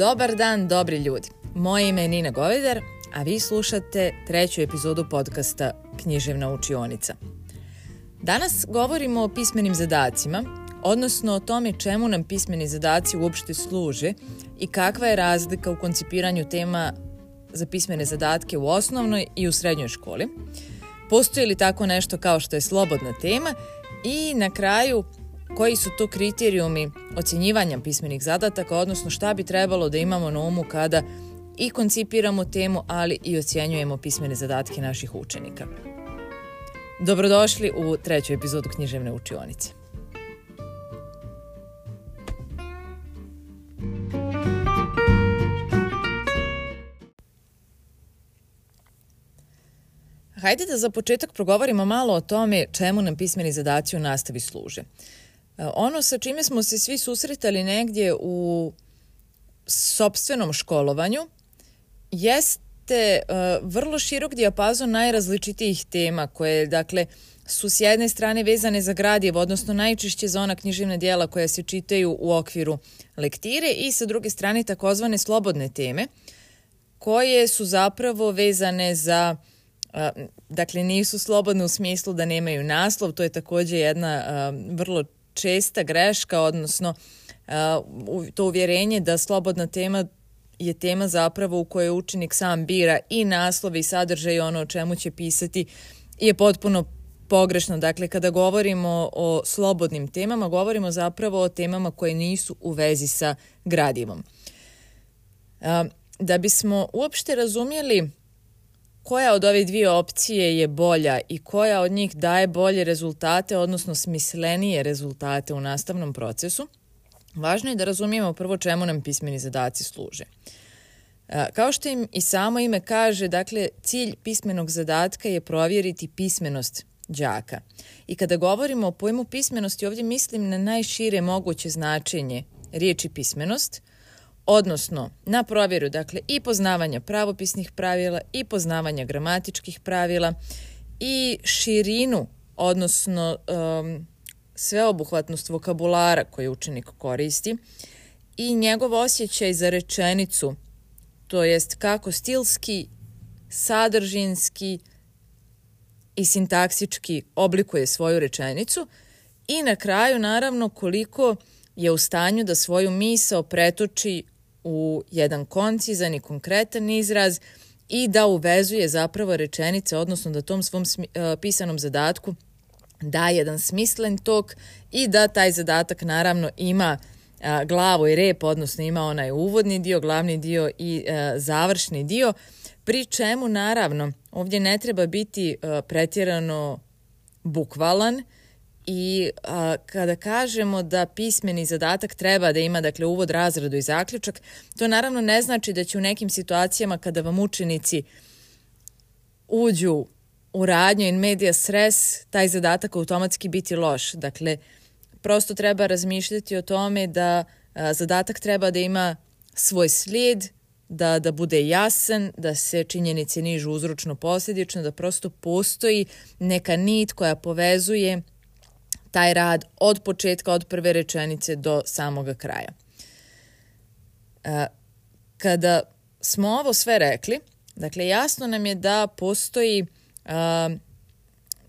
Dobar dan, dobri ljudi. Moje ime je Nina Govedar, a vi slušate 3. epizodu podcasta Književna učionica. Danas govorimo o pismenim zadacima, odnosno o tome čemu nam pismeni zadaci uopšte služe i kakva je razlika u koncipiranju tema za pismene zadatke u osnovnoj i u srednjoj školi. Postoji li tako nešto kao što je slobodna tema i na kraju koji su to kriterijumi ocjenjivanja pismenih zadataka, odnosno šta bi trebalo da imamo na umu kada i koncipiramo temu, ali i ocjenjujemo pismene zadatke naših učenika. Dobrodošli u 3. epizodu Književne učionice. Hajde da za početak progovorimo malo o tome čemu nam pismeni zadaci u nastavi služe. Ono sa čime smo se svi susretali negdje u sopstvenom školovanju jeste vrlo širok dijapazon najrazličitijih tema koje, dakle, su s jedne strane vezane za gradivo, odnosno najčešće za ona književna djela koja se čitaju u okviru lektire i sa druge strane takozvane slobodne teme koje su zapravo vezane za, dakle, nisu slobodne u smislu da nemaju naslov, to je također jedna vrlo česta greška, odnosno to uvjerenje da slobodna tema je tema zapravo u kojoj učenik sam bira i naslov i sadržaj, ono o čemu će pisati, je potpuno pogrešno. Dakle, kada govorimo o slobodnim temama, govorimo zapravo o temama koje nisu u vezi sa gradivom. Da bismo uopšte razumjeli koja od ove dvije opcije je bolja i koja od njih daje bolje rezultate, odnosno smislenije rezultate u nastavnom procesu, važno je da razumijemo prvo čemu nam pismeni zadaci služe. Kao što im i samo ime kaže, dakle, cilj pismenog zadatka je provjeriti pismenost đaka. I kada govorimo o pojmu pismenosti, ovdje mislim na najšire moguće značenje riječi pismenost, odnosno na provjeru, dakle, i poznavanja pravopisnih pravila i poznavanja gramatičkih pravila i širinu, odnosno sveobuhvatnost vokabulara koji učenik koristi i njegov osjećaj za rečenicu, to jest kako stilski, sadržinski i sintaksički oblikuje svoju rečenicu i na kraju, naravno, koliko je u stanju da svoju misao pretoči u jedan koncizan i konkretan izraz i da uvezuje zapravo rečenice, odnosno da tom svom pisanom zadatku da jedan smislen tok i da taj zadatak naravno ima glavu i rep, odnosno ima onaj uvodni dio, glavni dio i završni dio, pri čemu naravno ovdje ne treba biti pretjerano bukvalan i kada kažemo da pismeni zadatak treba da ima, dakle, uvod, razradu i zaključak, to naravno ne znači da će u nekim situacijama kada vam učenici uđu u radnju in medias res, taj zadatak automatski biti loš. Dakle, prosto treba razmišljati o tome da zadatak treba da ima svoj slijed, da bude jasan, da se činjenice nižu uzročno posljedično, da prosto postoji neka nit koja povezuje taj rad od početka, od prve rečenice do samoga kraja. Kada smo ovo sve rekli, dakle, jasno nam je da postoji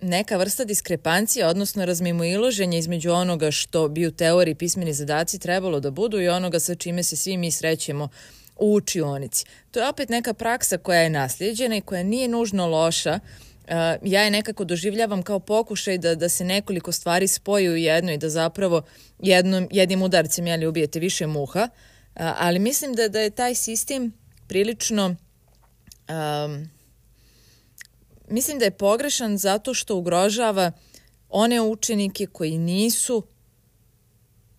neka vrsta diskrepancije, odnosno razmimoilaženja između onoga što bi u teoriji pismeni zadaci trebalo da budu i onoga sa čime se svi mi srećemo u učionici. To je opet neka praksa koja je naslijeđena i koja nije nužno loša. Ja je nekako doživljavam kao pokušaj da se nekoliko stvari spoji u jedno i da zapravo jednim udarcem ubijete više muha, ali mislim da je taj sistem prilično mislim da je pogrešan zato što ugrožava one učenike koji nisu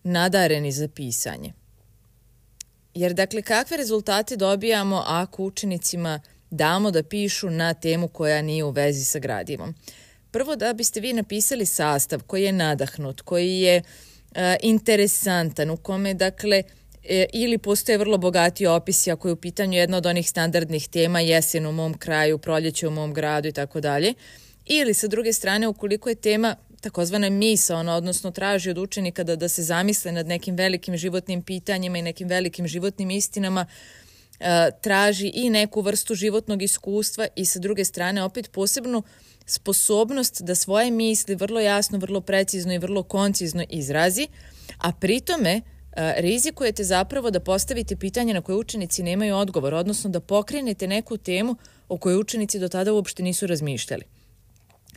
nadareni za pisanje. Jer, dakle, kakve rezultate dobijamo ako učenicima damo da pišu na temu koja nije u vezi sa gradivom? Prvo, da biste vi napisali sastav koji je nadahnut, koji je interesantan, u kome, dakle, ili postoje vrlo bogati opisi ako je u pitanju jedna od onih standardnih tema, jesen u mom kraju, proljeće u mom gradu i tako dalje, ili sa druge strane, ukoliko je tema takozvana misaona, odnosno traži od učenika da se zamisle nad nekim velikim životnim pitanjima i nekim velikim životnim istinama, traži i neku vrstu životnog iskustva i sa druge strane opet posebnu sposobnost da svoje misli vrlo jasno, vrlo precizno i vrlo koncizno izrazi, a pritome rizikujete zapravo da postavite pitanje na koje učenici nemaju odgovor, odnosno da pokrenete neku temu o kojoj učenici do tada uopšte nisu razmišljali.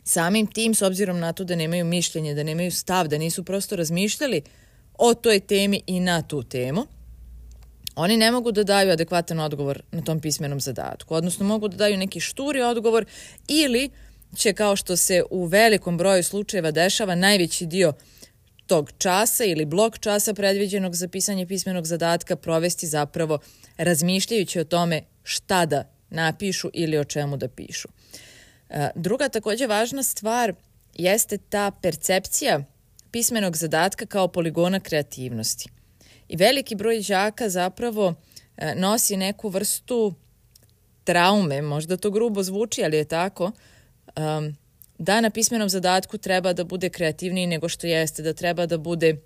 Samim tim, s obzirom na to da nemaju mišljenje, da nemaju stav, da nisu prosto razmišljali o toj temi i na tu temu, oni ne mogu da daju adekvatan odgovor na tom pismenom zadatku, odnosno mogu da daju neki šturi odgovor ili će, kao što se u velikom broju slučajeva dešava, najveći dio tog časa ili blok časa predviđenog za pisanje pismenog zadatka provesti zapravo razmišljajući o tome šta da napišu ili o čemu da pišu. Druga također važna stvar jeste ta percepcija pismenog zadatka kao poligona kreativnosti. I veliki broj đaka zapravo nosi neku vrstu traume, možda to grubo zvuči, ali je tako, da na pismenom zadatku treba da bude kreativniji nego što jeste, da treba da bude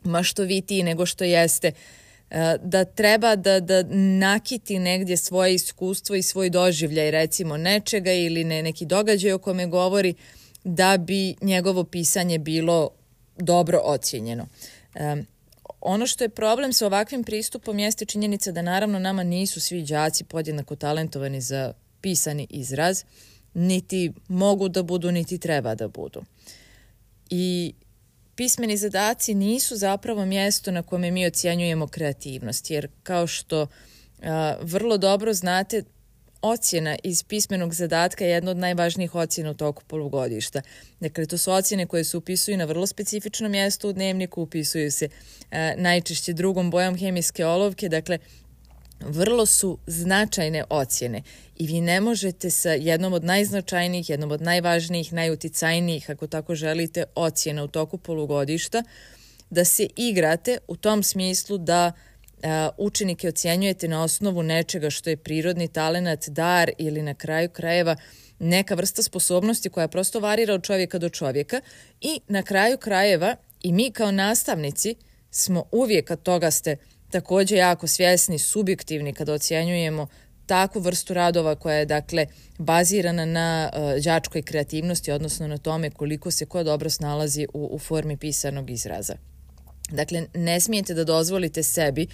maštovitiji nego što jeste, da treba da nakiti negdje svoje iskustvo i svoj doživljaj, recimo nečega ili neki događaj o kome govori, da bi njegovo pisanje bilo dobro ocijenjeno. Ono što je problem sa ovakvim pristupom jeste činjenica da naravno nama nisu svi đaci podjednako talentovani za pisani izraz, niti mogu da budu, niti treba da budu. I pismeni zadaci nisu zapravo mjesto na kome mi ocjenjujemo kreativnost, jer kao što vrlo dobro znate, ocjena iz pismenog zadatka je jedna od najvažnijih ocjena u toku polugodišta. Dakle, to su ocjene koje se upisuju na vrlo specifično mjesto u dnevniku, upisuju se najčešće drugom bojom hemijske olovke, dakle, vrlo su značajne ocjene i vi ne možete sa jednom od najznačajnijih, jednom od najvažnijih, najuticajnijih, ako tako želite, ocjena u toku polugodišta, da se igrate u tom smislu da učenike ocjenjujete na osnovu nečega što je prirodni talenat, dar ili na kraju krajeva neka vrsta sposobnosti koja prosto varira od čovjeka do čovjeka i na kraju krajeva i mi kao nastavnici smo uvijek, kad toga ste također jako svjesni, subjektivni kada ocjenjujemo takvu vrstu radova koja je dakle bazirana na đačkoj kreativnosti, odnosno na tome koliko se ko dobro snalazi u formi pisanog izraza. Dakle, ne smijete da dozvolite sebi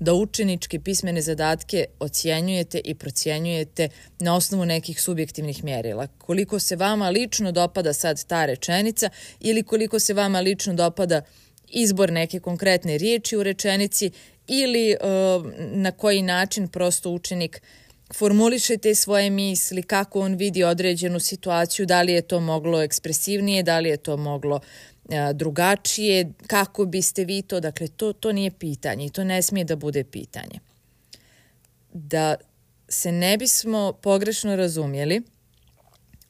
da učeničke pismene zadatke ocjenjujete i procjenjujete na osnovu nekih subjektivnih mjerila. Koliko se vama lično dopada sad ta rečenica ili koliko se vama lično dopada izbor neke konkretne riječi u rečenici ili na koji način prosto učenik formuliše te svoje misli, kako on vidi određenu situaciju, da li je to moglo ekspresivnije, da li je to moglo drugačije, kako biste vi to, dakle to nije pitanje i to ne smije da bude pitanje. Da se ne bismo pogrešno razumjeli,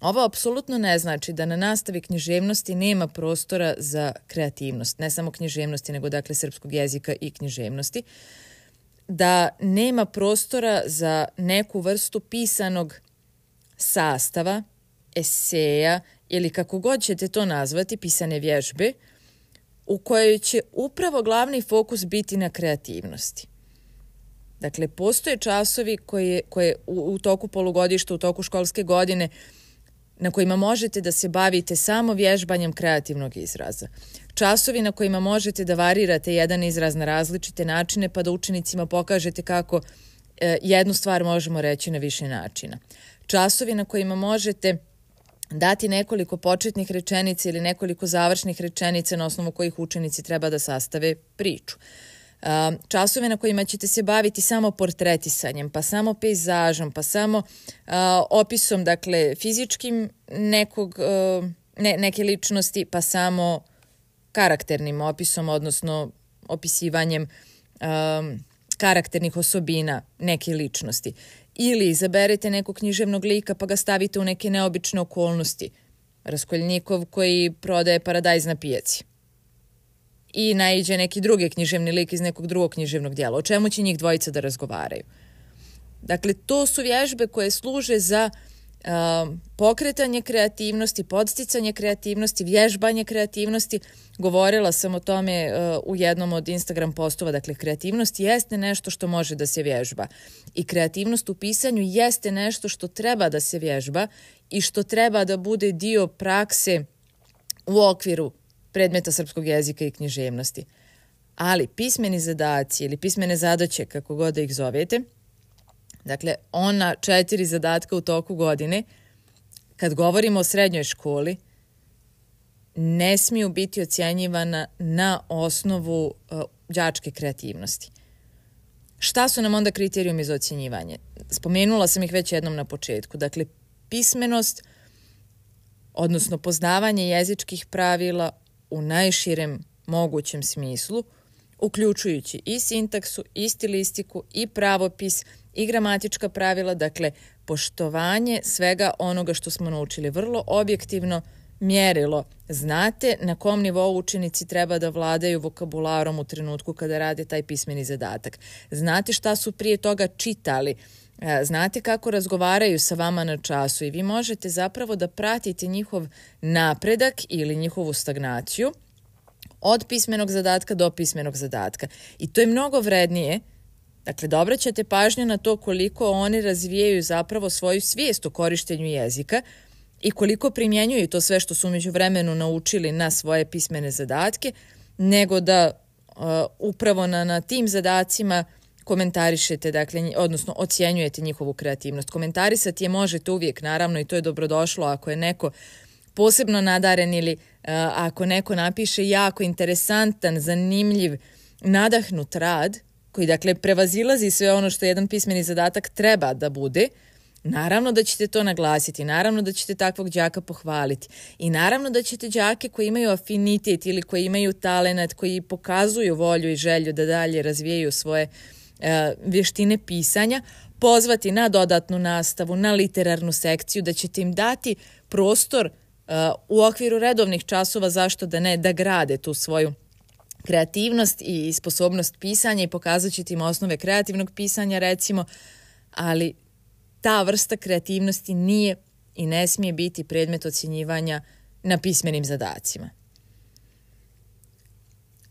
ovo apsolutno ne znači da na nastavi književnosti nema prostora za kreativnost, ne samo književnosti, nego dakle srpskog jezika i književnosti, da nema prostora za neku vrstu pisanog sastava, eseja ili kako god ćete to nazvati, pisane vježbe, u kojoj će upravo glavni fokus biti na kreativnosti. Dakle, postoje časovi koje u toku polugodišta, u toku školske godine, na kojima možete da se bavite samo vježbanjem kreativnog izraza. Časovi na kojima možete da varirate jedan izraz na različite načine pa da učenicima pokažete kako jednu stvar možemo reći na više načina. Časovi na kojima možete dati nekoliko početnih rečenica ili nekoliko završnih rečenica na osnovu kojih učenici treba da sastave priču. Časove na kojima ćete se baviti samo portretisanjem, pa samo pejzažom, pa samo opisom, dakle, fizičkim neke ličnosti, pa samo karakternim opisom, odnosno opisivanjem karakternih osobina neke ličnosti. Ili izaberete nekog književnog lika pa ga stavite u neke neobične okolnosti. Raskolnikov koji prodaje paradajz na pijaci. I naiđe neki drugi književni lik iz nekog drugog književnog djela. O čemu će njih dvojica da razgovaraju? Dakle, to su vježbe koje služe za pokretanje kreativnosti, podsticanje kreativnosti, vježbanje kreativnosti. Govorila sam o tome u jednom od Instagram postova. Dakle, kreativnost jeste nešto što može da se vježba. I kreativnost u pisanju jeste nešto što treba da se vježba i što treba da bude dio prakse u okviru predmeta srpskog jezika i književnosti. Ali pismeni zadaci ili pismene zadaće, kako god da ih zovete, dakle, ona 4 zadatka u toku godine, kad govorimo o srednjoj školi, ne smiju biti ocjenjivana na osnovu đačke kreativnosti. Šta su nam onda kriterijumi za ocjenjivanje? Spomenula sam ih već jednom na početku. Dakle, pismenost, odnosno poznavanje jezičkih pravila u najširem mogućem smislu, uključujući i sintaksu, i stilistiku, i pravopis, i gramatička pravila, dakle, poštovanje svega onoga što smo naučili. Vrlo objektivno mjerilo. Znate na kom nivou učenici treba da vladaju vokabularom u trenutku kada rade taj pismeni zadatak. Znate šta su prije toga čitali. Znate kako razgovaraju sa vama na času i vi možete zapravo da pratite njihov napredak ili njihovu stagnaciju od pismenog zadatka do pismenog zadatka. I to je mnogo vrednije. Dakle, da obraćate pažnju na to koliko oni razvijaju zapravo svoju svijest o korištenju jezika i koliko primjenjuju to sve što su umeđu vremenu naučili na svoje pismene zadatke, nego da upravo na tim zadacima komentarišete, dakle, odnosno ocjenjujete njihovu kreativnost. Komentarisati je možete uvijek, naravno, i to je dobrodošlo ako je neko posebno nadaren ili ako neko napiše jako interesantan, zanimljiv, nadahnut rad, koji, dakle, prevazilazi sve ono što jedan pismeni zadatak treba da bude. Naravno da ćete to naglasiti, naravno da ćete takvog đaka pohvaliti i naravno da ćete đake koji imaju afinitet ili koji imaju talenat, koji pokazuju volju i želju da dalje razvijaju svoje vještine pisanja, pozvati na dodatnu nastavu, na literarnu sekciju, da ćete im dati prostor u okviru redovnih časova, zašto da ne, da grade tu svoju kreativnost i sposobnost pisanja i pokazat ćete im osnove kreativnog pisanja, recimo, ali ta vrsta kreativnosti nije i ne smije biti predmet ocjenjivanja na pismenim zadacima.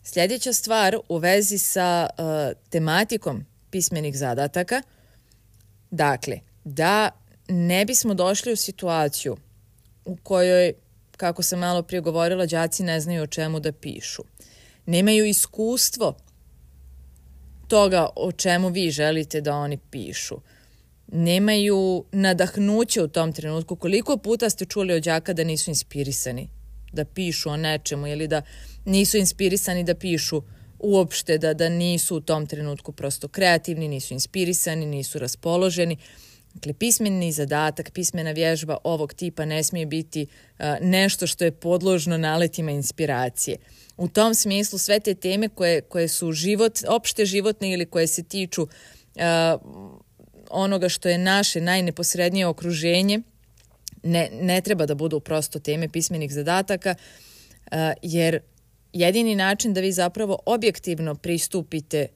Sljedeća stvar u vezi sa tematikom pismenih zadataka, dakle, da ne bismo došli u situaciju u kojoj, kako sam malo prije govorila, đaci ne znaju o čemu da pišu. Nemaju iskustvo toga o čemu vi želite da oni pišu. Nemaju nadahnuće u tom trenutku. Koliko puta ste čuli od đaka da nisu inspirisani da pišu o nečemu ili da nisu inspirisani da pišu uopšte, da nisu u tom trenutku prosto kreativni, nisu inspirisani, nisu raspoloženi. Dakle, pismeni zadatak, pismena vježba ovog tipa ne smije biti nešto što je podložno naletima inspiracije. U tom smislu sve te teme koje su opšte životne ili koje se tiču onoga što je naše najneposrednije okruženje, ne treba da budu prosto teme pismenih zadataka, jer jedini način da vi zapravo objektivno pristupite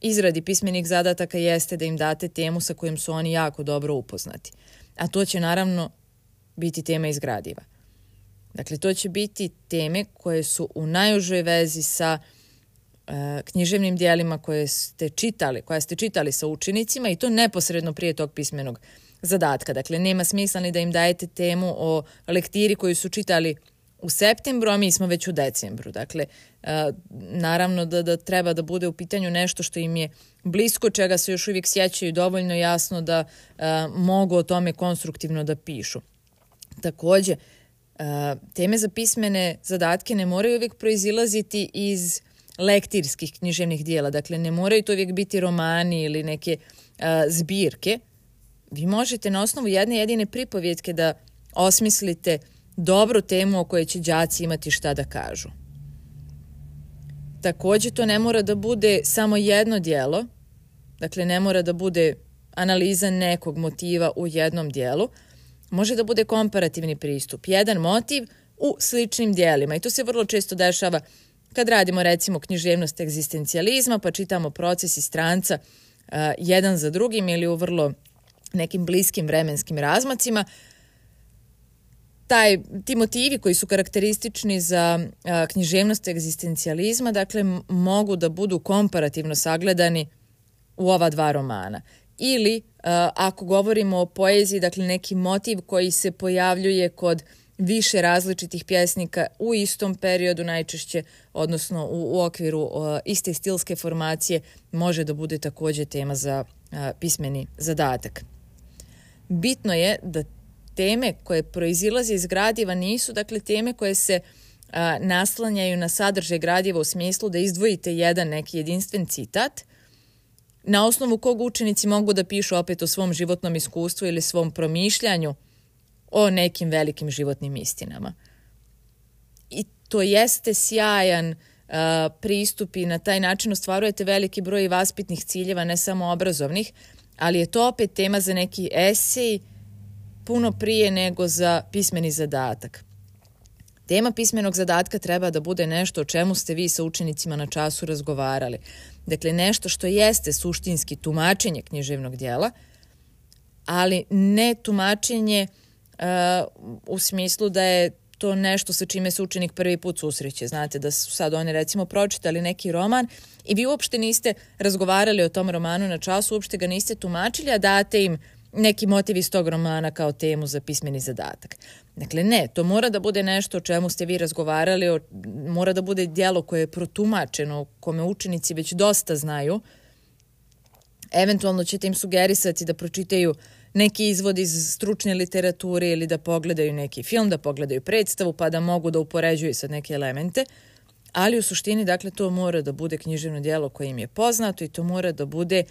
izradi pismenih zadataka jeste da im date temu sa kojom su oni jako dobro upoznati. A to će naravno biti tema iz gradiva. Dakle, to će biti teme koje su u najužoj vezi sa književnim dijelima koje ste čitali sa učenicima i to neposredno prije tog pismenog zadatka. Dakle, nema smisla ni da im dajete temu o lektiri koju su čitali u septembru, a mi smo već u decembru. Dakle, naravno da treba da bude u pitanju nešto što im je blisko, čega se još uvijek sjećaju dovoljno jasno da mogu o tome konstruktivno da pišu. Također, teme za pismene zadatke ne moraju uvijek proizilaziti iz lektirskih književnih dijela. Dakle, ne moraju to uvijek biti romani ili neke zbirke. Vi možete na osnovu jedne jedine pripovjetke da osmislite dobru temu o kojoj će đaci imati šta da kažu. Također, to ne mora da bude samo jedno dijelo, dakle ne mora da bude analiza nekog motiva u jednom dijelu, može da bude komparativni pristup, jedan motiv u sličnim dijelima i to se vrlo često dešava kad radimo recimo književnost egzistencijalizma pa čitamo Proces i Stranca jedan za drugim ili u vrlo nekim bliskim vremenskim razmacima. Ti motivi koji su karakteristični za književnost egzistencijalizma, dakle, mogu da budu komparativno sagledani u ova dva romana. Ili, ako govorimo o poeziji, dakle, neki motiv koji se pojavljuje kod više različitih pjesnika u istom periodu najčešće, odnosno u okviru iste stilske formacije, može da bude također tema za pismeni zadatak. Bitno je da teme koje proizilaze iz gradiva nisu, dakle, teme koje se naslanjaju na sadržaj gradiva u smislu da izdvojite jedan neki jedinstven citat, na osnovu kog učenici mogu da pišu opet o svom životnom iskustvu ili svom promišljanju o nekim velikim životnim istinama. I to jeste sjajan pristup i na taj način ostvarujete veliki broj vaspitnih ciljeva, ne samo obrazovnih, ali je to opet tema za neki esej puno prije nego za pismeni zadatak. Tema pismenog zadatka treba da bude nešto o čemu ste vi sa učenicima na času razgovarali. Dakle, nešto što jeste suštinski tumačenje književnog djela, ali ne tumačenje u smislu da je to nešto sa čime se učenik prvi put susreće. Znate da su sad oni recimo pročitali neki roman i vi uopšte niste razgovarali o tom romanu na času, uopšte ga niste tumačili, a date im neki motiv iz tog romana kao temu za pismeni zadatak. Dakle, ne, to mora da bude nešto o čemu ste vi razgovarali, mora da bude djelo koje je protumačeno, kome učenici već dosta znaju. Eventualno ćete im sugerisati da pročitaju neki izvod iz stručne literature ili da pogledaju neki film, da pogledaju predstavu pa da mogu da upoređuju sad neke elemente, ali u suštini, dakle, to mora da bude književno djelo koje im je poznato i to mora da bude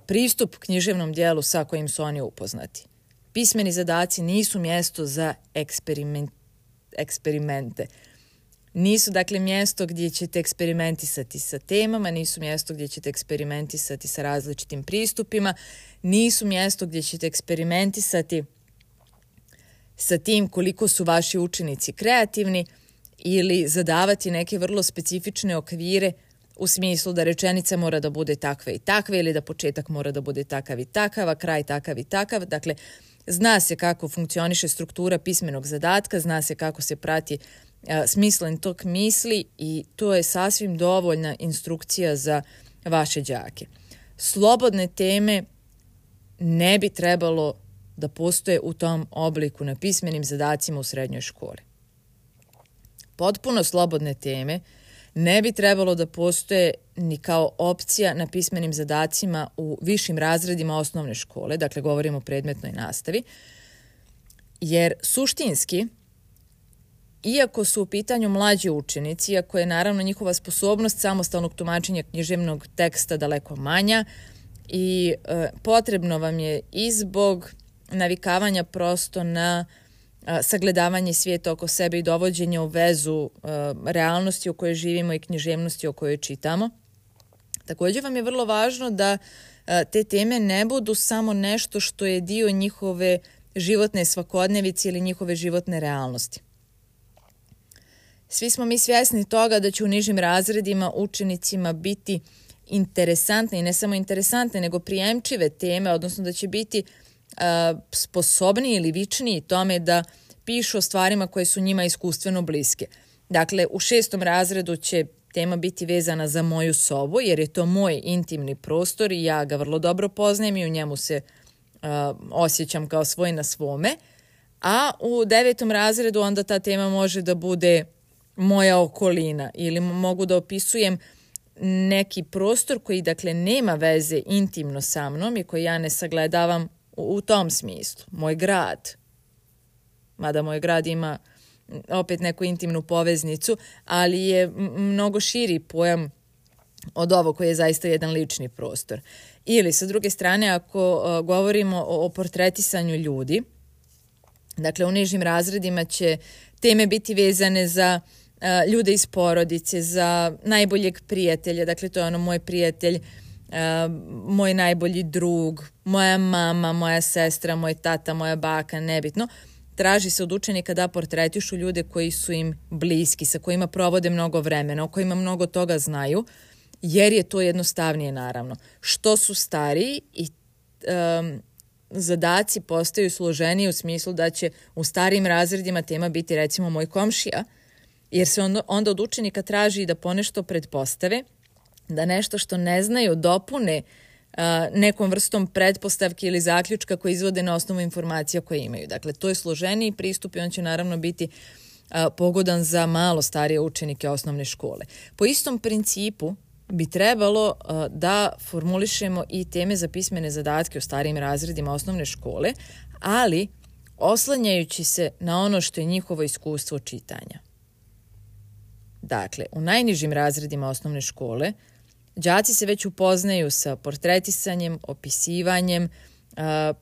pristup književnom djelu sa kojim su oni upoznati. Pismeni zadaci nisu mjesto za eksperimente. Nisu, dakle, mjesto gdje ćete eksperimentisati sa temama, nisu mjesto gdje ćete eksperimentisati sa različitim pristupima, nisu mjesto gdje ćete eksperimentisati sa tim koliko su vaši učenici kreativni ili zadavati neke vrlo specifične okvire u smislu da rečenica mora da bude takva i takva ili da početak mora da bude takav i takav, a kraj takav i takav. Dakle, zna se kako funkcioniše struktura pismenog zadatka, zna se kako se prati smislen tok misli i to je sasvim dovoljna instrukcija za vaše đake. Slobodne teme ne bi trebalo da postoje u tom obliku na pismenim zadacima u srednjoj školi. Potpuno slobodne teme ne bi trebalo da postoje ni kao opcija na pismenim zadacima u višim razredima osnovne škole, dakle govorimo o predmetnoj nastavi, jer suštinski, iako su u pitanju mlađi učenici, iako je naravno njihova sposobnost samostalnog tumačenja književnog teksta daleko manja i potrebno vam je i zbog navikavanja prosto na sagledavanje svijeta oko sebe i dovođenja u vezu realnosti u kojoj živimo i književnosti o kojoj čitamo. Također vam je vrlo važno da te teme ne budu samo nešto što je dio njihove životne svakodnevice ili njihove životne realnosti. Svi smo mi svjesni toga da će u nižim razredima učenicima biti interesantne i ne samo interesantne, nego prijemčive teme, odnosno da će biti sposobniji ili vičniji tome da pišu o stvarima koje su njima iskustveno bliske. Dakle, u 6. razredu će tema biti vezana za moju sobu, jer je to moj intimni prostor i ja ga vrlo dobro poznajem i u njemu se osjećam kao svoj na svome. A u 9. razredu onda ta tema može da bude moja okolina ili mogu da opisujem neki prostor koji, dakle, nema veze intimno sa mnom i koji ja ne sagledavam u tom smislu. Moj grad, mada moj grad ima opet neku intimnu poveznicu, ali je mnogo širi pojam od ovog koji je zaista jedan lični prostor. Ili, sa druge strane, ako govorimo o portretisanju ljudi, dakle, u nižim razredima će teme biti vezane za ljude iz porodice, za najboljeg prijatelja, dakle, to je ono moj prijatelj, moj najbolji drug, moja mama, moja sestra, moj tata, moja baka, nebitno. Traži se od učenika da portretišu ljude koji su im bliski, sa kojima provode mnogo vremena, o kojima mnogo toga znaju, jer je to jednostavnije, naravno. Što su stariji i zadaci postaju složeniji u smislu da će u starijim razredima tema biti recimo moj komšija, jer se onda od učenika traži da ponešto pretpostave, da nešto što ne znaju dopune nekom vrstom pretpostavki ili zaključka koje izvode na osnovu informacija koje imaju. Dakle, to je složeniji pristup i on će naravno biti pogodan za malo starije učenike osnovne škole. Po istom principu bi trebalo da formulišemo i teme za pismene zadatke u starijim razredima osnovne škole, ali oslanjajući se na ono što je njihovo iskustvo čitanja. Dakle, u najnižim razredima osnovne škole đaci se već upoznaju sa portretisanjem, opisivanjem,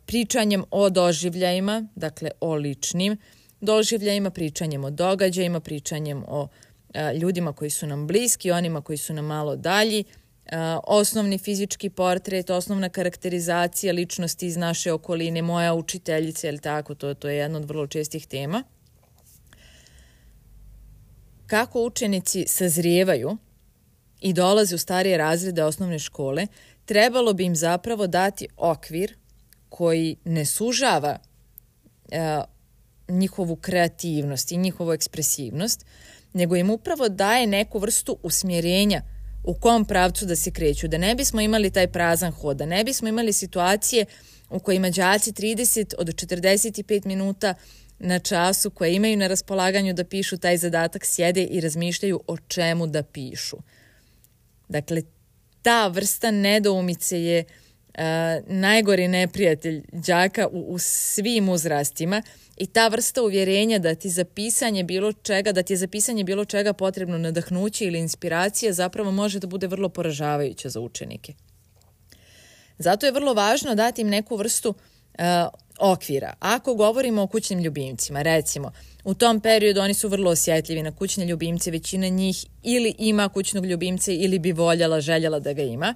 pričanjem o doživljajima, dakle o ličnim doživljajima, pričanjem o događajima, pričanjem o ljudima koji su nam bliski, onima koji su nam malo dalji, osnovni fizički portret, osnovna karakterizacija ličnosti iz naše okoline, moja učiteljica, ili tako, to je jedna od vrlo čestih tema. Kako učenici sazrijevaju i dolaze u starije razrede osnovne škole, trebalo bi im zapravo dati okvir koji ne sužava njihovu kreativnost i njihovu ekspresivnost, nego im upravo daje neku vrstu usmjerenja u kom pravcu da se kreću, da ne bismo imali taj prazan hod, da ne bismo imali situacije u kojima đaci 30 od 45 minuta na času koje imaju na raspolaganju da pišu taj zadatak sjede i razmišljaju o čemu da pišu. Dakle, ta vrsta nedoumice je najgori neprijatelj đaka u svim uzrastima i ta vrsta uvjerenja da ti je za pisanje bilo čega potrebno nadahnuće ili inspiracija zapravo može da bude vrlo poražavajuća za učenike. Zato je vrlo važno dati im neku vrstu okvira. Ako govorimo o kućnim ljubimcima, recimo, u tom periodu oni su vrlo osjetljivi na kućne ljubimce, većina njih ili ima kućnog ljubimca ili bi željela da ga ima.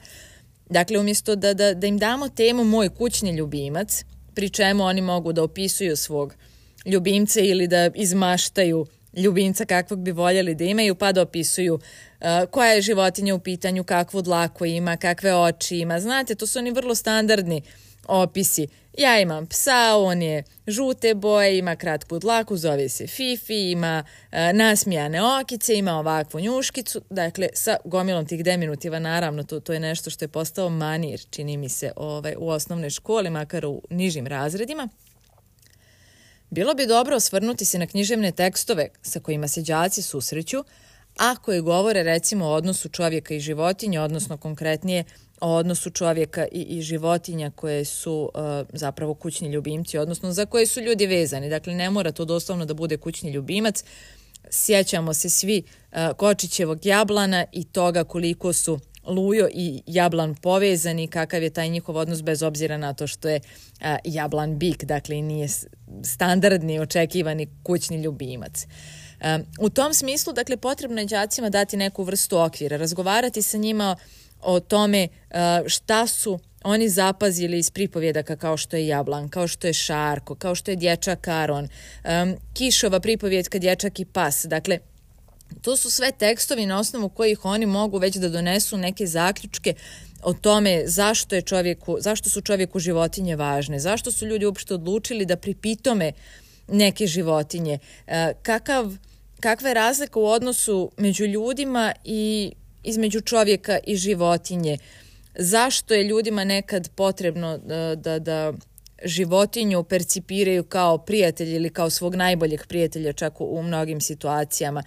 Dakle, umjesto da im damo temu moj kućni ljubimac, pri čemu oni mogu da opisuju svog ljubimca ili da izmaštaju ljubimca kakvog bi voljeli da imaju, pa da opisuju koja je životinja u pitanju, kakvu dlaku ima, kakve oči ima. Znate, to su oni vrlo standardni opisi. Ja imam psa, on je žute boje, ima kratku dlaku, zove se Fifi, ima nasmijane okice, ima ovakvu njuškicu. Dakle, sa gomilom tih deminutiva, naravno, to je nešto što je postao manir, čini mi se, u osnovnoj školi, makar u nižim razredima. Bilo bi dobro osvrnuti se na književne tekstove sa kojima se đaci susreću, a koji govore recimo o odnosu čovjeka i životinja, odnosno konkretnije o odnosu čovjeka i životinja koje su zapravo kućni ljubimci, odnosno za koje su ljudi vezani. Dakle, ne mora to doslovno da bude kućni ljubimac. Sjećamo se svi Kočićevog jablana i toga koliko su Lujo i jablan povezani, kakav je taj njihov odnos bez obzira na to što je jablan bik, dakle i nije standardni očekivani kućni ljubimac. U tom smislu, dakle, potrebno je đacima dati neku vrstu okvira, razgovarati sa njima o tome šta su oni zapazili iz pripovjedaka kao što je Jablan, kao što je Šarko, kao što je dječak Aron, Kišova pripovjedka Dječak i pas. Dakle, to su sve tekstovi na osnovu kojih oni mogu već da donesu neke zaključke o tome zašto su čovjeku životinje važne, zašto su ljudi uopšte odlučili da pripitome neke životinje, kakva je razlika u odnosu među ljudima i između čovjeka i životinje, zašto je ljudima nekad potrebno da životinju percipiraju kao prijatelj ili kao svog najboljeg prijatelja čak u mnogim situacijama.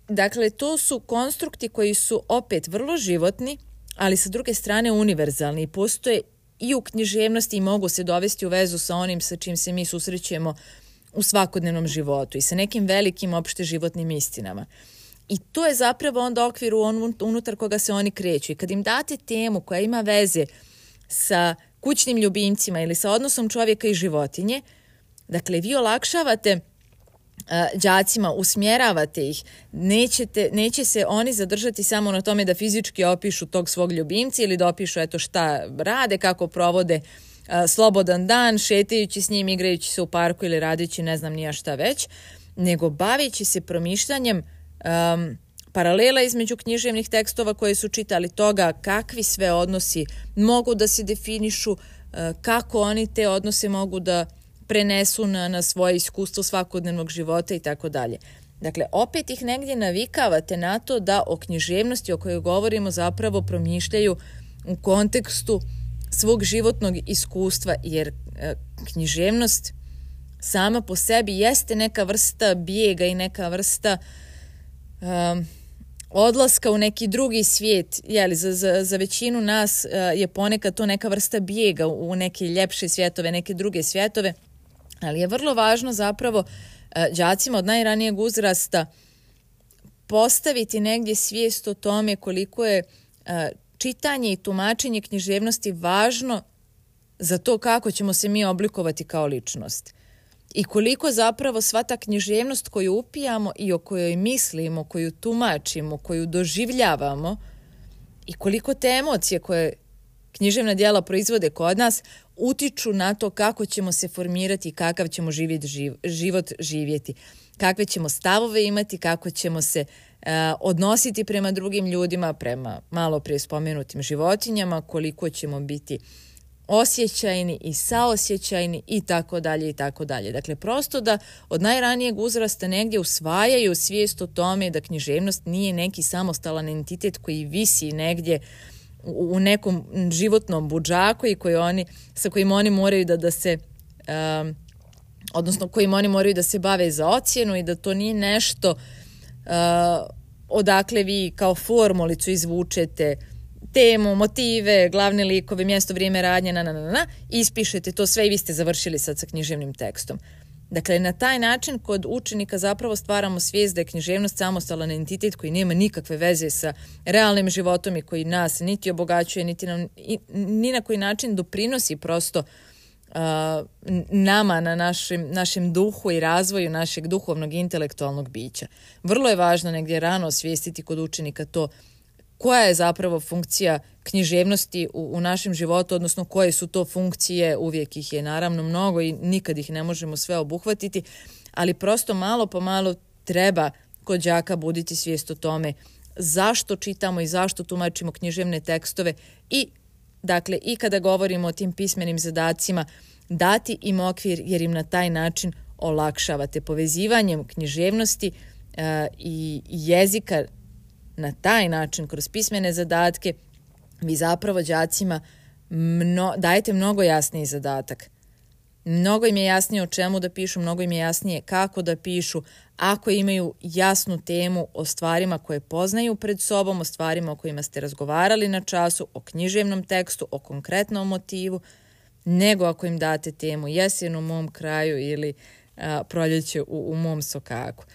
Dakle, to su konstrukti koji su opet vrlo životni, ali sa druge strane univerzalni i postoje i u književnosti i mogu se dovesti u vezu sa onim sa čim se mi susrećemo u svakodnevnom životu i sa nekim velikim opšte životnim istinama. I to je zapravo onda okvir unutar koga se oni kreću. I kad im date temu koja ima veze sa kućnim ljubimcima ili sa odnosom čovjeka i životinje, dakle, vi olakšavate đacima, usmjeravate ih, neće se oni zadržati samo na tome da fizički opišu tog svog ljubimca ili da opišu eto šta rade, kako provode slobodan dan, šetajući s njim, igrajući se u parku ili radeći ne znam nija šta već, nego baveći se promišljanjem paralela između književnih tekstova koje su čitali, toga kakvi sve odnosi mogu da se definišu kako oni te odnose mogu da prenesu na svoje iskustvo svakodnevnog života i tako dalje. Dakle, opet ih negdje navikavate na to da o književnosti o kojoj govorimo zapravo promišljaju u kontekstu svog životnog iskustva, jer književnost sama po sebi jeste neka vrsta bijega i neka vrsta odlaska u neki drugi svijet. Za većinu nas je ponekad to neka vrsta bijega u neke ljepše svjetove, neke druge svjetove, ali je vrlo važno zapravo đacima od najranijeg uzrasta postaviti negdje svijest o tome koliko je čitanje i tumačenje književnosti važno za to kako ćemo se mi oblikovati kao ličnost. I koliko zapravo sva ta književnost koju upijamo i o kojoj mislimo, koju tumačimo, koju doživljavamo i koliko te emocije koje književna djela proizvode kod nas utiču na to kako ćemo se formirati i kakav ćemo život živjeti, kakve ćemo stavove imati, kako ćemo se odnositi prema drugim ljudima, prema malo prije spomenutim životinjama, koliko ćemo biti osjećajni i saosjećajni i tako dalje i tako dalje. Dakle, prosto da od najranijeg uzrasta negdje usvajaju svijest o tome da književnost nije neki samostalan entitet koji visi negdje u nekom životnom budžaku i sa kojim oni moraju da se odnosno kojim oni moraju da se bave za ocjenu i da to nije nešto odakle vi kao formulicu izvučete temu, motive, glavne likove, mjesto, vrijeme radnje, ispišete to sve i vi ste završili sad sa književnim tekstom. Dakle, na taj način kod učenika zapravo stvaramo svijest da je književnost samostalan entitet koji nema nikakve veze sa realnim životom i koji nas niti obogaćuje, niti nam ni na koji način doprinosi prosto nama na našem duhu i razvoju našeg duhovnog i intelektualnog bića. Vrlo je važno negdje rano osvijestiti kod učenika to koja je zapravo funkcija književnosti u našem životu, odnosno koje su to funkcije, uvijek ih je naravno mnogo i nikad ih ne možemo sve obuhvatiti, ali prosto malo po malo treba kod đaka buditi svijest o tome zašto čitamo i zašto tumačimo književne tekstove i dakle i kada govorimo o tim pismenim zadacima dati im okvir jer im na taj način olakšavate povezivanjem književnosti i jezika. Na taj način, kroz pismene zadatke, vi zapravo đacima dajete mnogo jasniji zadatak. Mnogo im je jasnije o čemu da pišu, mnogo im je jasnije kako da pišu, ako imaju jasnu temu o stvarima koje poznaju pred sobom, o stvarima o kojima ste razgovarali na času, o književnom tekstu, o konkretnom motivu, nego ako im date temu jesen u mom kraju ili proljeće u mom sokaku.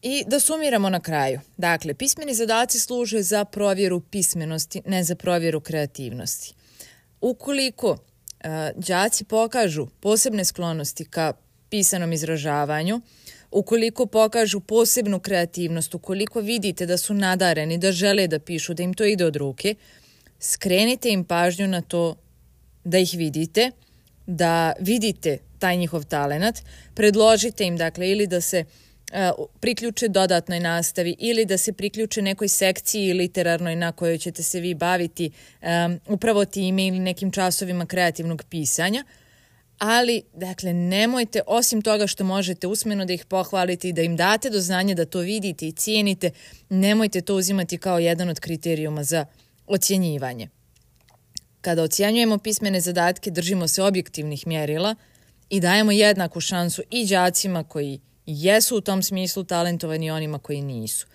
I da sumiramo na kraju. Dakle, pismeni zadaci služe za provjeru pismenosti, ne za provjeru kreativnosti. Ukoliko đaci pokažu posebne sklonosti ka pisanom izražavanju, ukoliko pokažu posebnu kreativnost, ukoliko vidite da su nadareni, da žele da pišu, da im to ide od ruke, skrenite im pažnju na to da ih vidite, da vidite taj njihov talenat, predložite im dakle ili da se priključe dodatnoj nastavi ili da se priključe nekoj sekciji literarnoj na kojoj ćete se vi baviti upravo time ili nekim časovima kreativnog pisanja. Ali, dakle, nemojte, osim toga što možete usmeno da ih pohvalite i da im date do znanja da to vidite i cijenite, nemojte to uzimati kao jedan od kriterijuma za ocjenjivanje. Kada ocjenjujemo pismene zadatke, držimo se objektivnih mjerila i dajemo jednaku šansu i đacima koji jesu u tom smislu talentovani i onima koji nisu.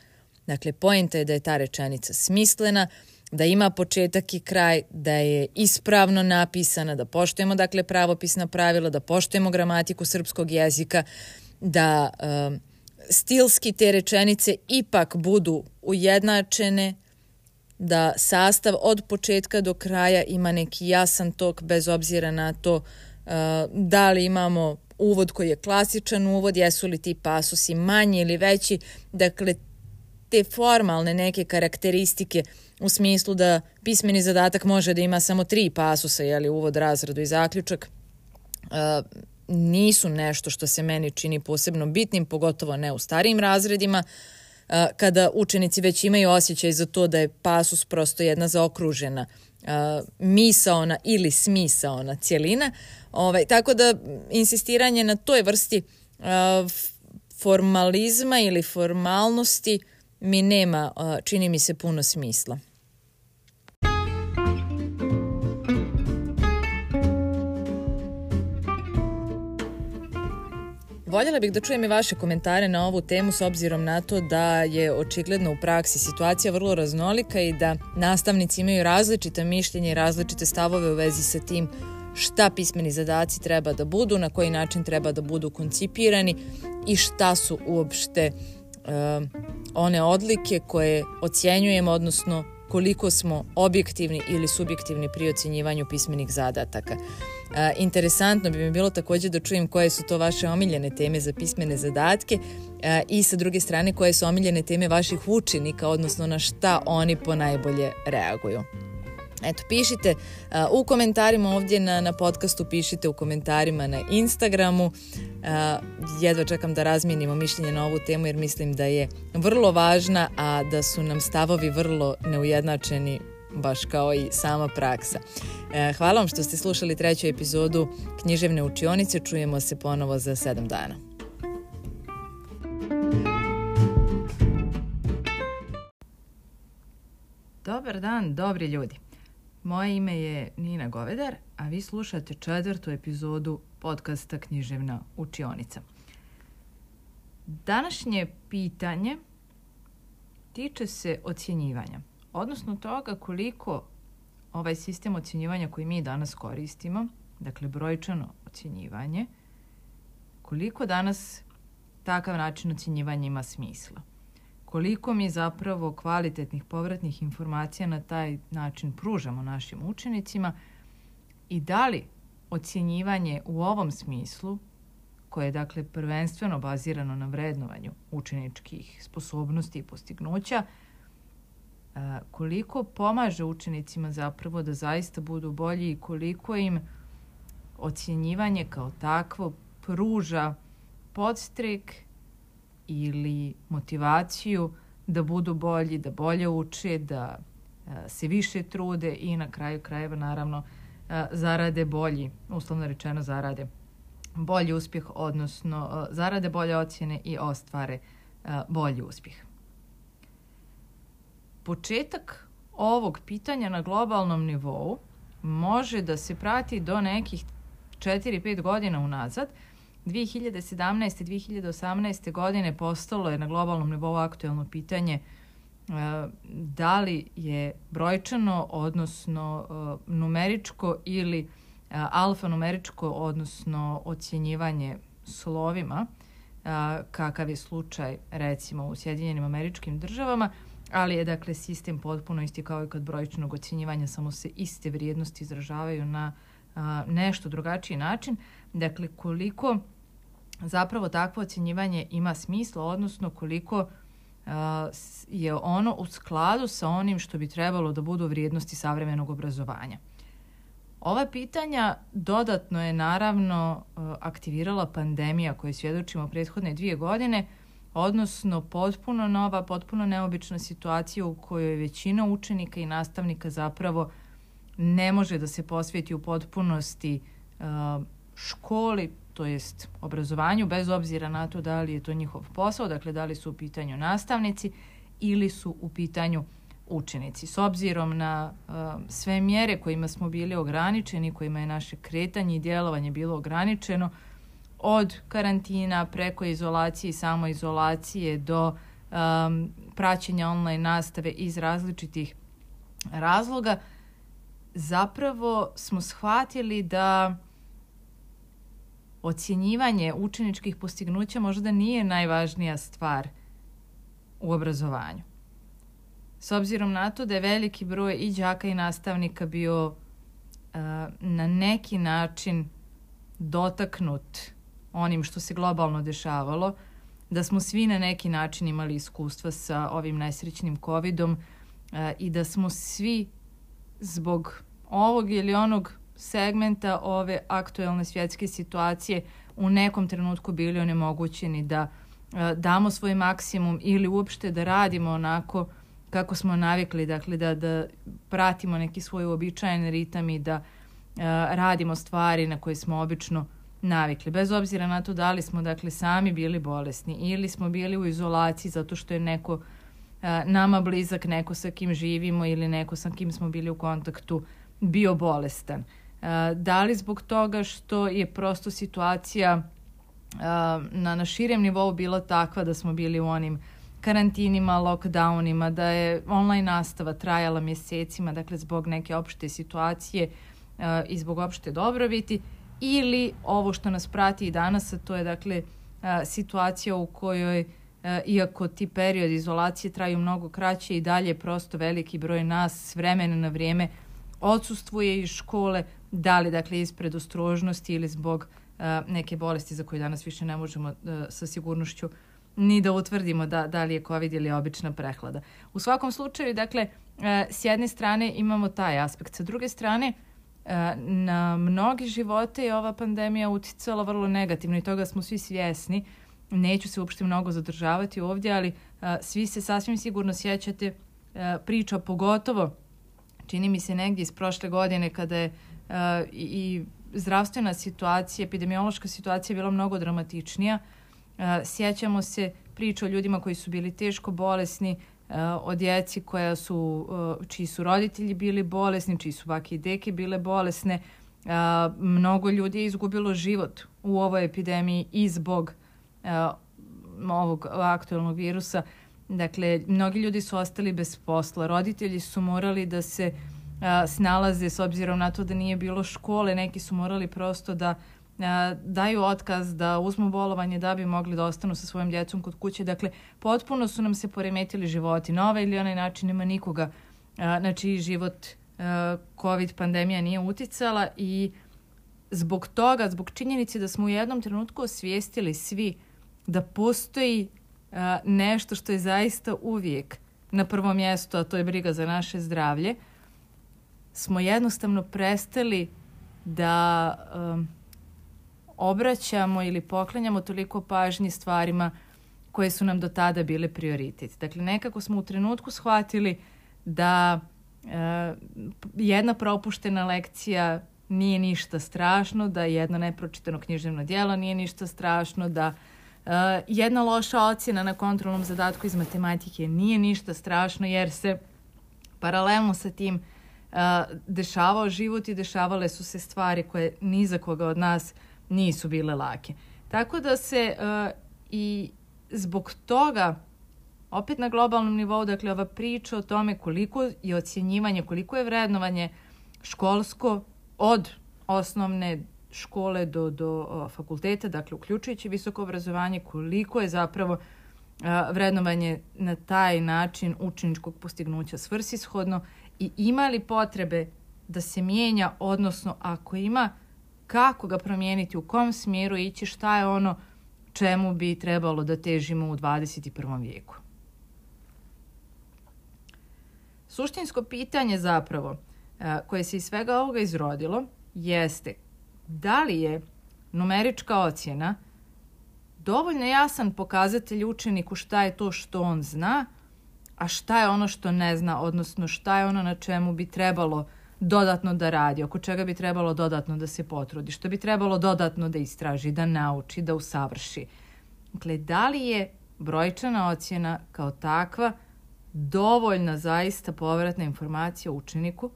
Dakle, poenta je da je ta rečenica smislena, da ima početak i kraj, da je ispravno napisana, da poštujemo dakle pravopisna pravila, da poštujemo gramatiku srpskog jezika, da stilski te rečenice ipak budu ujednačene, da sastav od početka do kraja ima neki jasan tok bez obzira na to da li imamo uvod koji je klasičan uvod, jesu li ti pasusi manji ili veći, dakle te formalne neke karakteristike u smislu da pismeni zadatak može da ima samo 3 pasusa, uvod, razradu i zaključak, nisu nešto što se meni čini posebno bitnim, pogotovo ne u starijim razredima, kada učenici već imaju osjećaj za to da je pasus prosto jedna zaokružena misaona ili smisaona cjelina. Tako da insistiranje na toj vrsti formalizma ili formalnosti mi nema, čini mi se, puno smisla. Voljela bih da čujem i vaše komentare na ovu temu s obzirom na to da je očigledno u praksi situacija vrlo raznolika i da nastavnici imaju različita mišljenja i različite stavove u vezi sa tim šta pismeni zadaci treba da budu, na koji način treba da budu koncipirani i šta su uopšte one odlike koje ocjenjujemo, odnosno koliko smo objektivni ili subjektivni pri ocjenjivanju pismenih zadataka. Interesantno bi mi bilo također da čujem koje su to vaše omiljene teme za pismene zadatke i sa druge strane koje su omiljene teme vaših učenika, odnosno na šta oni ponajbolje reaguju. Eto, pišite u komentarima ovdje na podcastu, pišite u komentarima na Instagramu. Jedva čekam da razmijenimo mišljenje na ovu temu jer mislim da je vrlo važna, a da su nam stavovi vrlo neujednačeni, baš kao i sama praksa. Hvala vam što ste slušali 3. epizodu Književne učionice. Čujemo se ponovo za 7 dana. Dobar dan, dobri ljudi. Moje ime je Nina Govedar, a vi slušate 4. epizodu podcasta Književna učionica. Današnje pitanje tiče se ocjenjivanja, odnosno toga koliko ovaj sistem ocjenjivanja koji mi danas koristimo, dakle brojčano ocjenjivanje, koliko danas takav način ocjenjivanja ima smisla. Koliko mi zapravo kvalitetnih povratnih informacija na taj način pružamo našim učenicima i da li ocjenjivanje u ovom smislu, koje je dakle prvenstveno bazirano na vrednovanju učeničkih sposobnosti i postignuća, koliko pomaže učenicima zapravo da zaista budu bolji i koliko im ocjenjivanje kao takvo pruža podstrek ili motivaciju da budu bolji, da bolje uče, da se više trude i na kraju krajeva naravno zarade bolji, uslovno rečeno zarade bolji uspjeh, odnosno zarade bolje ocjene i ostvare bolji uspjeh. Početak ovog pitanja na globalnom nivou može da se prati do nekih 4-5 godina unazad. 2017. 2018. godine postalo je na globalnom nivou aktuelno pitanje da li je brojčano, odnosno numeričko ili alfanumeričko, odnosno ocjenjivanje slovima, kakav je slučaj recimo u Sjedinjenim Američkim Državama, ali je dakle sistem potpuno isti kao i kod brojčanog ocjenjivanja, samo se iste vrijednosti izražavaju na nešto drugačiji način. Dakle, koliko zapravo takvo ocjenjivanje ima smisla, odnosno koliko je ono u skladu sa onim što bi trebalo da budu vrijednosti savremenog obrazovanja. Ova pitanja dodatno je naravno aktivirala pandemija koju svjedočimo prethodne 2 godine, odnosno potpuno nova, potpuno neobična situacija u kojoj većina učenika i nastavnika zapravo ne može da se posveti u potpunosti školi, to jest obrazovanju, bez obzira na to da li je to njihov posao, dakle da li su u pitanju nastavnici ili su u pitanju učenici. S obzirom na sve mjere kojima smo bili ograničeni, kojima je naše kretanje i djelovanje bilo ograničeno, od karantina preko izolacije i samoizolacije do praćenja online nastave iz različitih razloga, zapravo smo shvatili da ocjenjivanje učeničkih postignuća možda nije najvažnija stvar u obrazovanju. S obzirom na to da je veliki broj i đaka i nastavnika bio na neki način dotaknut onim što se globalno dešavalo, da smo svi na neki način imali iskustva sa ovim nesrećnim covidom i da smo svi zbog ovog ili onog segmenta ove aktuelne svjetske situacije u nekom trenutku bili onemogućeni da damo svoj maksimum ili uopšte da radimo onako kako smo navikli, dakle da pratimo neki svoj uobičajen ritam i da radimo stvari na koje smo obično navikli. Bez obzira na to da li smo dakle sami bili bolesni ili smo bili u izolaciji zato što je neko nama blizak, neko sa kim živimo ili neko sa kim smo bili u kontaktu bio bolestan. Da li zbog toga što je prosto situacija na širem nivou bila takva da smo bili u onim karantinima, lockdownima, da je online nastava trajala mjesecima, dakle zbog neke opšte situacije i zbog opšte dobrobiti, ili ovo što nas prati i danas, a to je dakle situacija u kojoj iako ti periodi izolacije traju mnogo kraće i dalje prosto veliki broj nas s vremena na vrijeme odsustvuje iz škole, da li dakle iz predostrožnosti ili zbog neke bolesti za koje danas više ne možemo sa sigurnošću ni da utvrdimo da li je COVID ili obična prehlada. U svakom slučaju, dakle, s jedne strane imamo taj aspekt. Sa druge strane, na mnogi živote je ova pandemija uticala vrlo negativno i toga smo svi svjesni. Neću se uopšte mnogo zadržavati ovdje, ali svi se sasvim sigurno sjećate priča, pogotovo čini mi se negdje iz prošle godine kada je i zdravstvena situacija, epidemiološka situacija bila mnogo dramatičnija. Sjećamo se priča o ljudima koji su bili teško bolesni, o djeci čiji su roditelji bili bolesni, čiji su bake i deke bile bolesne. Mnogo ljudi je izgubilo život u ovoj epidemiji i zbog ovog aktualnog virusa. Dakle, mnogi ljudi su ostali bez posla. Roditelji su morali da se snalaze s obzirom na to da nije bilo škole. Neki su morali prosto da daju otkaz, da uzmu bolovanje da bi mogli da ostanu sa svojom djecom kod kuće. Dakle, potpuno su nam se poremetili životi. Na ovaj ili onaj način nema nikoga na čiji život COVID pandemija nije uticala i zbog toga, zbog činjenice da smo u jednom trenutku osvijestili svi da postoji nešto što je zaista uvijek na prvom mjestu, a to je briga za naše zdravlje, smo jednostavno prestali da obraćamo ili poklanjamo toliko pažnje stvarima koje su nam do tada bile prioritet. Dakle, nekako smo u trenutku shvatili da jedna propuštena lekcija nije ništa strašno, da jedno nepročitano književno djelo nije ništa strašno, da jedna loša ocjena na kontrolnom zadatku iz matematike nije ništa strašno, jer se paralelno sa tim dešavao život i dešavale su se stvari koje ni za koga od nas nisu bile lake. Tako da se i zbog toga opet na globalnom nivou, dakle ova priča o tome koliko je ocjenjivanje, koliko je vrednovanje školsko od osnovne škole do fakulteta, dakle uključujući visoko obrazovanje, koliko je zapravo vrednovanje na taj način učeničkog postignuća svrsishodno i ima li potrebe da se mijenja, odnosno ako ima, kako ga promijeniti, u kom smjeru ići, šta je ono čemu bi trebalo da težimo u 21. vijeku. Suštinsko pitanje zapravo koje se iz svega ovoga izrodilo jeste da li je numerička ocjena dovoljno jasan pokazatelj učeniku šta je to što on zna, a šta je ono što ne zna, odnosno šta je ono na čemu bi trebalo dodatno da radi, oko čega bi trebalo dodatno da se potrudi, što bi trebalo dodatno da istraži, da nauči, da usavrši. Dakle, da li je brojčana ocjena kao takva dovoljna zaista povratna informacija učeniku,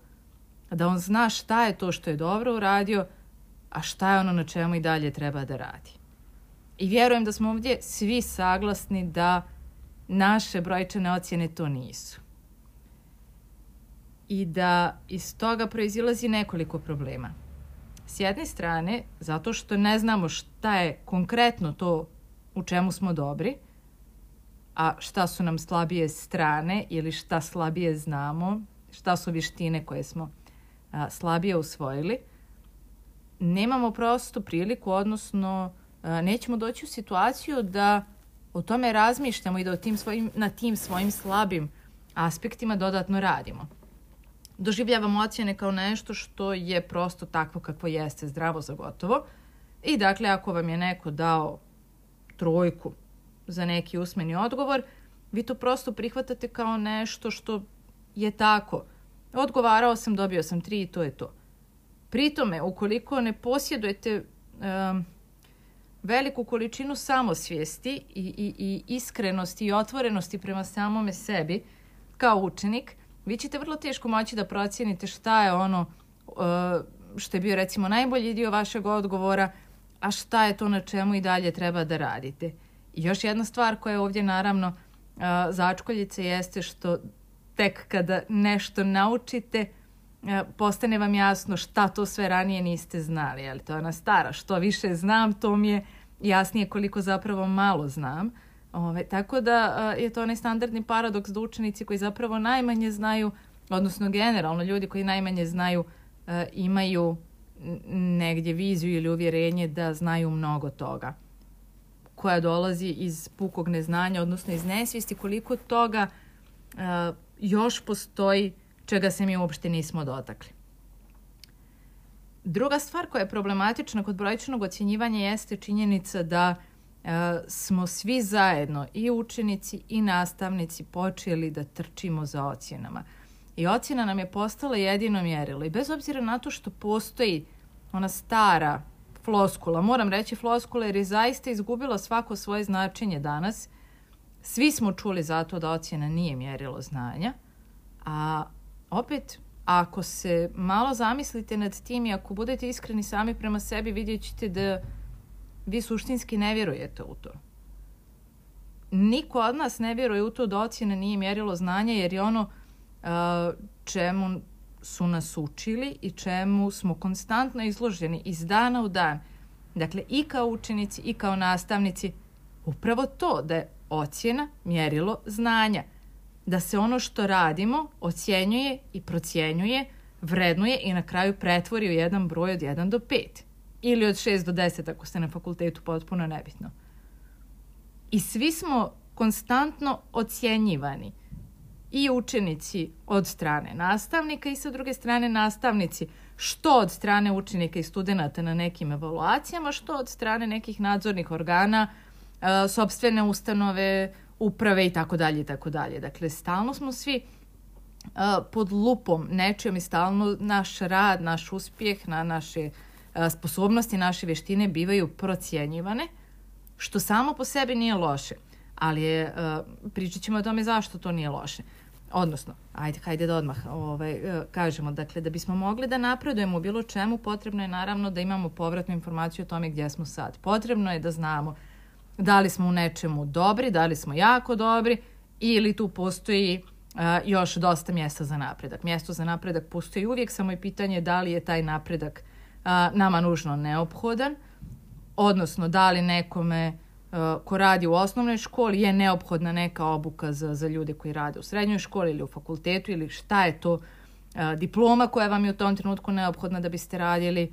da on zna šta je to što je dobro uradio, a šta je ono na čemu i dalje treba da radi. I vjerujem da smo ovdje svi saglasni da naše brojčane ocjene to nisu. I da iz toga proizilazi nekoliko problema. S jedne strane, zato što ne znamo šta je konkretno to u čemu smo dobri, a šta su nam slabije strane ili šta slabije znamo, šta su vještine koje smo slabije usvojili. Nemamo prosto priliku, odnosno nećemo doći u situaciju da o tome razmišljamo i da na tim svojim slabim aspektima dodatno radimo. Doživljavamo ocjene kao nešto što je prosto takvo kakvo jeste, zdravo za gotovo. I dakle, ako vam je neko dao 3 za neki usmeni odgovor, vi to prosto prihvatate kao nešto što je tako. Odgovarao sam, dobio sam 3 i to je to. Pritome, ukoliko ne posjedujete veliku količinu samosvijesti i iskrenosti i otvorenosti prema samome sebi kao učenik, vi ćete vrlo teško moći da procijenite šta je ono što je bio recimo najbolji dio vašeg odgovora, a šta je to na čemu i dalje treba da radite. I još jedna stvar koja je ovdje naravno začkoljica jeste što tek kada nešto naučite, postane vam jasno šta to sve ranije niste znali. Ali to je ona stara, što više znam, to mi je jasnije koliko zapravo malo znam. Tako da je to onaj standardni paradoks da učenici koji zapravo najmanje znaju, odnosno generalno ljudi koji najmanje znaju, imaju negdje viziju ili uvjerenje da znaju mnogo toga, koja dolazi iz pukog neznanja, odnosno iz nesvijesti koliko toga još postoji čega se mi uopšte nismo dotakli. Druga stvar koja je problematična kod brojčanog ocjenjivanja jeste činjenica da smo svi zajedno, i učenici i nastavnici, počeli da trčimo za ocjenama. I ocjena nam je postala jedino mjerilo. I bez obzira na to što postoji ona stara floskula, moram reći floskula jer je zaista izgubila svako svoje značenje danas, svi smo čuli zato da ocjena nije mjerilo znanja, a opet, ako se malo zamislite nad tim i ako budete iskreni sami prema sebi, vidjet ćete da vi suštinski ne vjerujete u to. Niko od nas ne vjeruje u to da ocjena nije mjerilo znanja, jer je ono čemu su nas učili i čemu smo konstantno izloženi iz dana u dan. Dakle, i kao učenici i kao nastavnici, upravo to da je ocjena mjerilo znanja. Da se ono što radimo ocjenjuje i procjenjuje, vrednuje i na kraju pretvori u jedan broj od 1 do 5. Ili od 6 do 10 ako ste na fakultetu, potpuno nebitno. I svi smo konstantno ocjenjivani. I učenici od strane nastavnika i sa druge strane nastavnici, što od strane učenika i studenata na nekim evaluacijama, što od strane nekih nadzornih organa, sopstvene ustanove, uprave i tako dalje i tako dalje. Dakle, stalno smo svi pod lupom nečijom i stalno naš rad, naš uspjeh, naše sposobnosti, naše vještine bivaju procjenjivane, što samo po sebi nije loše. Ali pričat ćemo o tome zašto to nije loše. Odnosno, hajde da odmah kažemo, dakle, da bismo mogli da napredujemo u bilo čemu, potrebno je naravno da imamo povratnu informaciju o tome gdje smo sad. Potrebno je da znamo da li smo u nečemu dobri, da li smo jako dobri ili tu postoji još dosta mjesta za napredak. Mjesto za napredak postoji uvijek, samo je pitanje da li je taj napredak nama nužno neophodan, odnosno da li nekome ko radi u osnovnoj školi je neophodna neka obuka za ljude koji rade u srednjoj školi ili u fakultetu, ili šta je to diploma koja vam je u tom trenutku neophodna da biste radili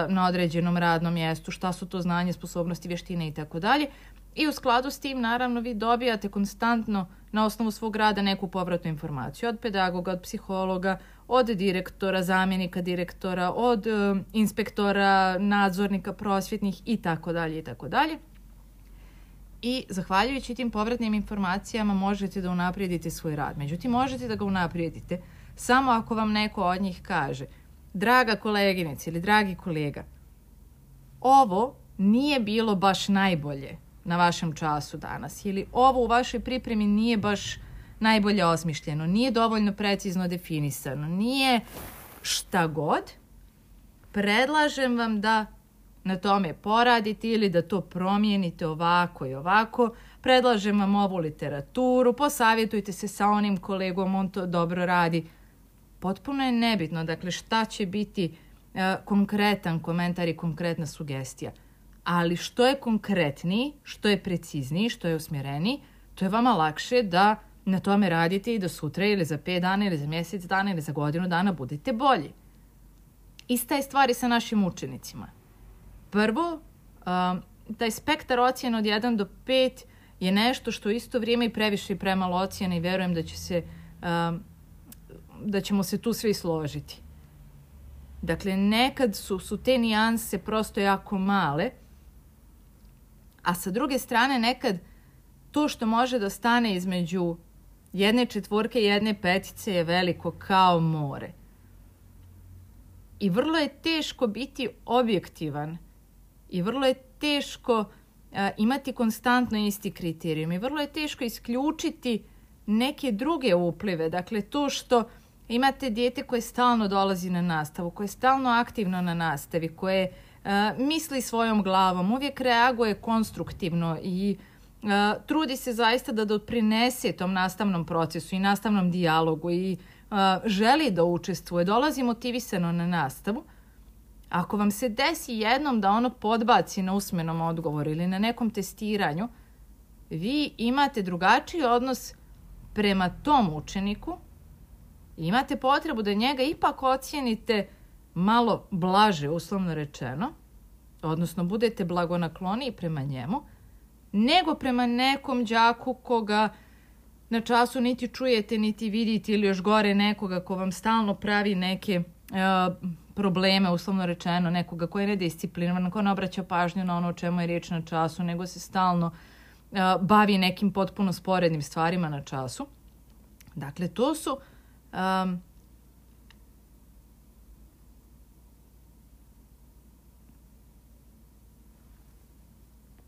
na određenom radnom mjestu, šta su to znanje, sposobnosti, vještine i tako dalje. I u skladu s tim, naravno, vi dobijate konstantno na osnovu svog rada neku povratnu informaciju od pedagoga, od psihologa, od direktora, zamjenika direktora, od inspektora, nadzornika prosvjetnih i tako dalje i tako dalje. I zahvaljujući tim povratnim informacijama možete da unaprijedite svoj rad. Međutim, možete da ga unaprijedite samo ako vam neko od njih kaže: draga koleginice ili dragi kolega, ovo nije bilo baš najbolje na vašem času danas, ili ovo u vašoj pripremi nije baš najbolje osmišljeno, nije dovoljno precizno definisano, nije šta god, predlažem vam da na tome poradite ili da to promijenite ovako i ovako, predlažem vam ovu literaturu, posavjetujte se sa onim kolegom, on to dobro radi. Potpuno je nebitno, dakle, šta će biti konkretan komentar i konkretna sugestija. Ali što je konkretniji, što je precizniji, što je usmjereniji, to je vama lakše da na tome radite i da sutra ili za 5 dana ili za mjesec dana ili za godinu dana budete bolji. Ista je stvar i sa našim učenicima. Prvo, taj spektar ocjena od 1 do 5 je nešto što u isto vrijeme i previše i premalo ocjena i vjerujem da ćemo se tu svi složiti. Dakle, nekad su te nijanse prosto jako male, a sa druge strane nekad to što može da stane između jedne četvorke i jedne petice je veliko kao more. I vrlo je teško biti objektivan i vrlo je teško imati konstantno isti kriterijum i vrlo je teško isključiti neke druge uplive. Dakle, to što imate dijete koje stalno dolazi na nastavu, koje je stalno aktivno na nastavi, koje misli svojom glavom, uvijek reaguje konstruktivno i trudi se zaista da doprinese tom nastavnom procesu i nastavnom dijalogu i želi da učestvuje, dolazi motivisano na nastavu. Ako vam se desi jednom da ono podbaci na usmenom odgovoru ili na nekom testiranju, vi imate drugačiji odnos prema tom učeniku i imate potrebu da njega ipak ocijenite malo blaže, uslovno rečeno, odnosno budete blagonakloniji prema njemu, nego prema nekom đaku koga na času niti čujete, niti vidite, ili još gore nekoga ko vam stalno pravi neke probleme, uslovno rečeno, nekoga ko je nedisciplinovan, ko ne obraća pažnju na ono o čemu je riječ na času, nego se stalno bavi nekim potpuno sporednim stvarima na času. Dakle, to su